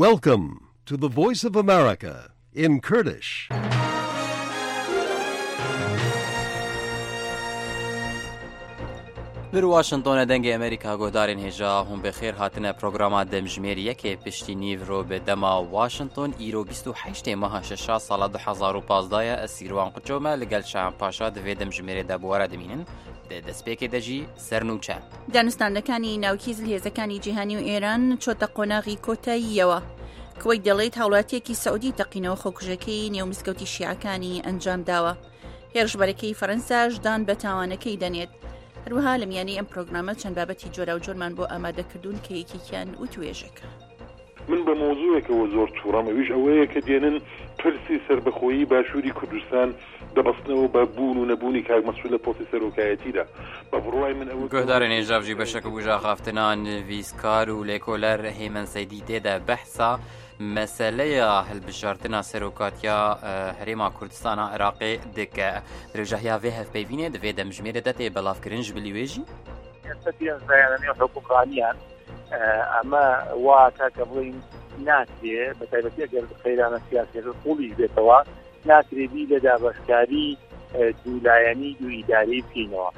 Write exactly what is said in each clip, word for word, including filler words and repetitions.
Welcome to the Voice of America in Kurdish. Li Washingtonê Dengê Amerîka guhdarên hêja hûn bi xêr hatine programa Demjimêr yekê piştî nîv ro bi dema Washington, îro bîst û heştê meha şeşa sala du hezar û pazdeh ye. Ez Sîrwan Quço me li gel Şahan Paşa di vê demjimêrê de bi we re dimînin. Di destpêkê de jî sernûçe. Danûstandekانی ناوکی زلهێزەکانی جیهانی و ئێران چۆتە قۆناغی کۆتاییەوە. کوەیت دەڵێت هاوڵاتیەکی سەعودی تەقینەوە خۆکوژەکەی نێو مزگەوتی شیعەکانی ئەنجام داوە. هێرشبەرەکەی فەرەنساش دان بە تاوانەکەی دەنێت. هەروەها لە میانەی ئەم پرۆگرامە چەند بابەتی جۆراوجۆرمان بۆ ئامادە کردوون کە یەکێکیان وتوێژێکە. من بە مۆزوعێکەوە زۆر تووڕەم، ئەویش ئەوەیە کە دێنن پرسی سربەخۆیی باشووری کوردستان دەبەستنەوە بە بوون و نەبوونی کاک مەسعود لە پۆستی سەرۆکایەتیدا. بە بڕوای من ئەوە گۆهدارێن هێژاڤژی بە شەک بوو ژاخافتنان ویزکار و لێکۆلەر هێمن سەیدی تێدا بەحسا مەسەلەیە هەلبژاردنا سەرۆکاتیا هەرێما کوردستانە عێراقێ دکە. درێژاهیا vê hevpeyvînê di vê demjimêrê de tê belavkirin ji bilî wê jî. ئێستا پێنج لایەنە نێو حکومڕانیان. ئەمە وا کاکە بڵین ناکرێ، بە تایبەتی ئەگەر قەیرانە سیاسیەکە قوڵیش بێتەوە، ناکرێ بی لە دابەشکاری دوو لایەنی، دوو ئیدارەی بکەینەوە.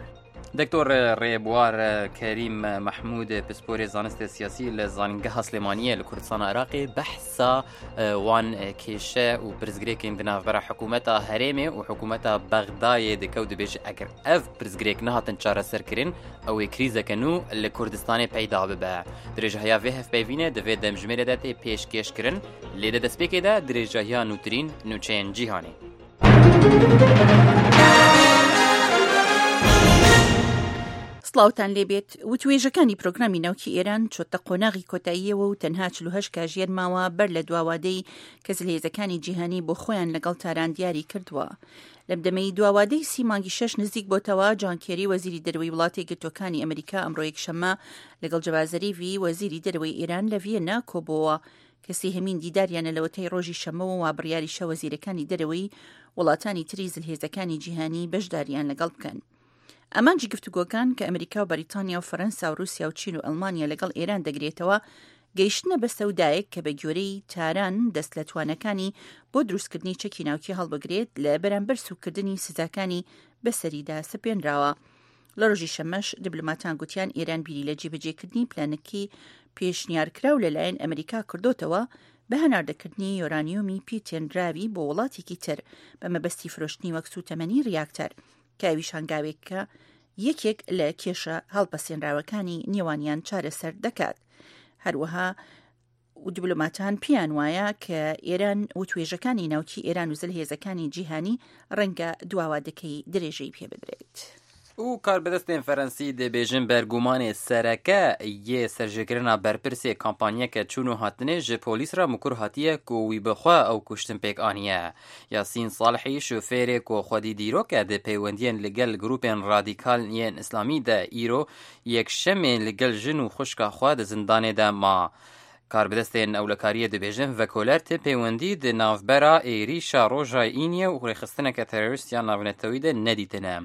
دکتۆر ڕێبوار کەریم مەحموود، پسپۆرێ زانستە سیاسی لە زانینگەها سلێمانیە لە کوردستان عێراقێ بەحسا وان کێشە و پرسگرێکین di navbera hikûmeta herêmê û hikûmeta Bexdayê dike û dibêje eger ev pirsgirêk nehatin çareserkirin, ew ê krîzeke nû li Kurdistanê peyda bibe. Dirêjahiya vê hevpeyvînê di vê demjimêrê de tê pêşkêşkirin, lê di destpêkê de dirêjahiya nûtirîn nûçeyên cîhanê. سڵاوتان لێبێت. وتوێژەکانی پرۆگرامی ناوکی ئێران چۆتە قۆناغی کۆتاییەوە و تەنها چل و هەشت کاژێر ماوە بەر لە دواوادەی کە زلهێزەکانی جیهانی بۆ خۆیان لەگەڵ تاران دیاری کردووە. لەم دەمەی دواوادەی سی مانگی شەش نزیک بۆتەوە، جان کێری وەزیری دەروی وڵاتی گرتوەکانی ئەمریکا ئەمڕۆ یەکشەممە لەگەڵ جەوازەریڤی وەزیری دەروی ئێران لە ڤیەنا کۆبۆوە کە سێهەمین دیداریانە لەوەتەی ڕۆژی شەممەوە و بڕیاریشە وەزیرەکانی دەرەوەی وڵاتانی تری زلهێزەکانی جیهانی بەشداریان لەگەڵ بکەن. ئەمانجی گفتوگۆکان کە ئەمریکا و بەریتانیا و فەرەنسا و رووسیا و چین و ئەڵمانیا لەگەڵ ئێران دەگرێتەوە، گەیشتنە بە سەودایەک کە بە گوێرەی تاران دەست لە توانەکانی بۆ دروستکردنی چەکی ناوکی هەڵبگرێت لە بەرامبەر سوکردنی سزاکانی بەسەریدا سپێنراوە. لە ڕۆژی شەمەش دیبلۆماتان گوتیان ئێران بیری لە جێبەجێکردنی پلانەکی پێشنیارکراو لەلایەن ئەمریکا کردوتەوە بە هەناردەکردنی یۆرانیۆمی پێتێنراوی بۆ وڵاتێکی تر بە مەبەستی فرۆشتنی وەک سوتەمەنی ریاکتەر، کە ئەویش هەنگاوێکە یەکێک لە کێشە هەڵپەسێنراوەکانی نێوانیان چارەسەر دەکات. هەروەها و دیبلۆماتان پێیان وایە کە ئێران و توێژەکانی ناوکی ئێران و زلهێزەکانی جیهانی ڕەنگە دواوادەکەی درێژەی پێ بدرێت. û karbidestên Ferensî dibêjin bergumanê sereke yê serjêkirina berpirsê kampanyeke çûn û hatinê ji polîs re mikur hatiye ku wî bi xwe ew kuştin pêk aniye. Yasîn Salihî, şofêrê ku xwedî dîrok e di peywendiyên li gel grûpên radîkal yên îslamî de îro yekşemê li gel jin û xwişka xwe di zindanê de ma. Karbidestên ewlekariyê dibêjin, vekoler ti peywendî di navbera êrîşa roja îniyê û rêxistineke terorîst ya navnetewî de nedîtine.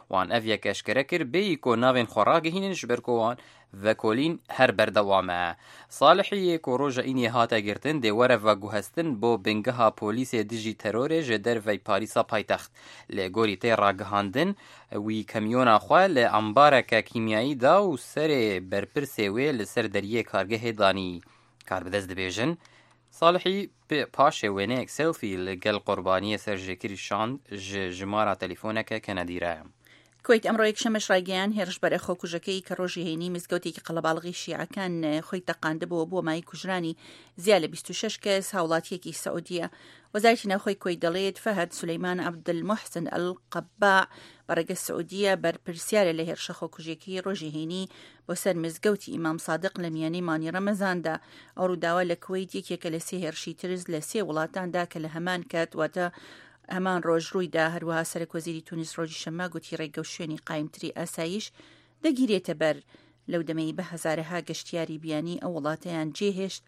Wan ev yek eşkere kir, bêyî ku navên xwe ragihînin, ji ber ku wan vekolîn her berdewam e. Salihî yê ku roja îniyê hate girtin, dê were veguhestin bo bingeha polîsê dijî terorê ji dervey Parîsa paytext. Lê gorî tê ragihandin, wî kamyona xwe li ambareke kîmyayî da û serê berpirsê wê li ser deriyê kargehê danî. Karbidest dibêjin, Salihî paşê wêneyek selfie li gel qurbaniyê serjêkirî şand, ji jimara telîfoneke Kennedy re. کوەیت ئەمڕۆ یەکشەممەش ڕایگەیان هێرشبەرە خۆکوژەکەی کە ڕۆژی هەینی مزگەوتێکی قەڵەباڵغی شیعەکان خۆی تەقاندبووە بۆ مای کوژرانی زیا لە بیست و شەش کەس هاوڵاتیەکی سعودیە. وەزارەتی ناوخۆی کوەیت دەڵێت فەهد سولەیمان عەبدولموحسن ئەلقەباع بەڕێگە سعودیە بەرپرسیارە لە هێرشە خۆکوژیەکەی ڕۆژی هەینی بۆ سەر مزگەوتی ئیمام سادق لە میانەی مانی ڕەمەزاندا. ئەو ڕووداوە لە کوەیت یەکێکە لە سێ هێرشی ترس لە سێ وڵاتاندا کە لە هەمان کات واتە هەمان ڕۆژ ڕوویدا. هەروەها سەرەک وەزیری تونس ڕۆژی شەممە گوتی ڕێگە و شوێنی قایمتری ئاسایش دەگیرێتە بەر. لەو دەمەی بە هەزارەها گەشتیاری بیانی ئەو وڵاتەیان جێهێشت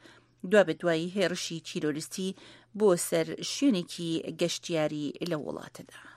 دوا بە دوایی هێرشی تیرۆریستی بۆ سەر شوێنێکی گەشتیاری لەو وڵاتەدا.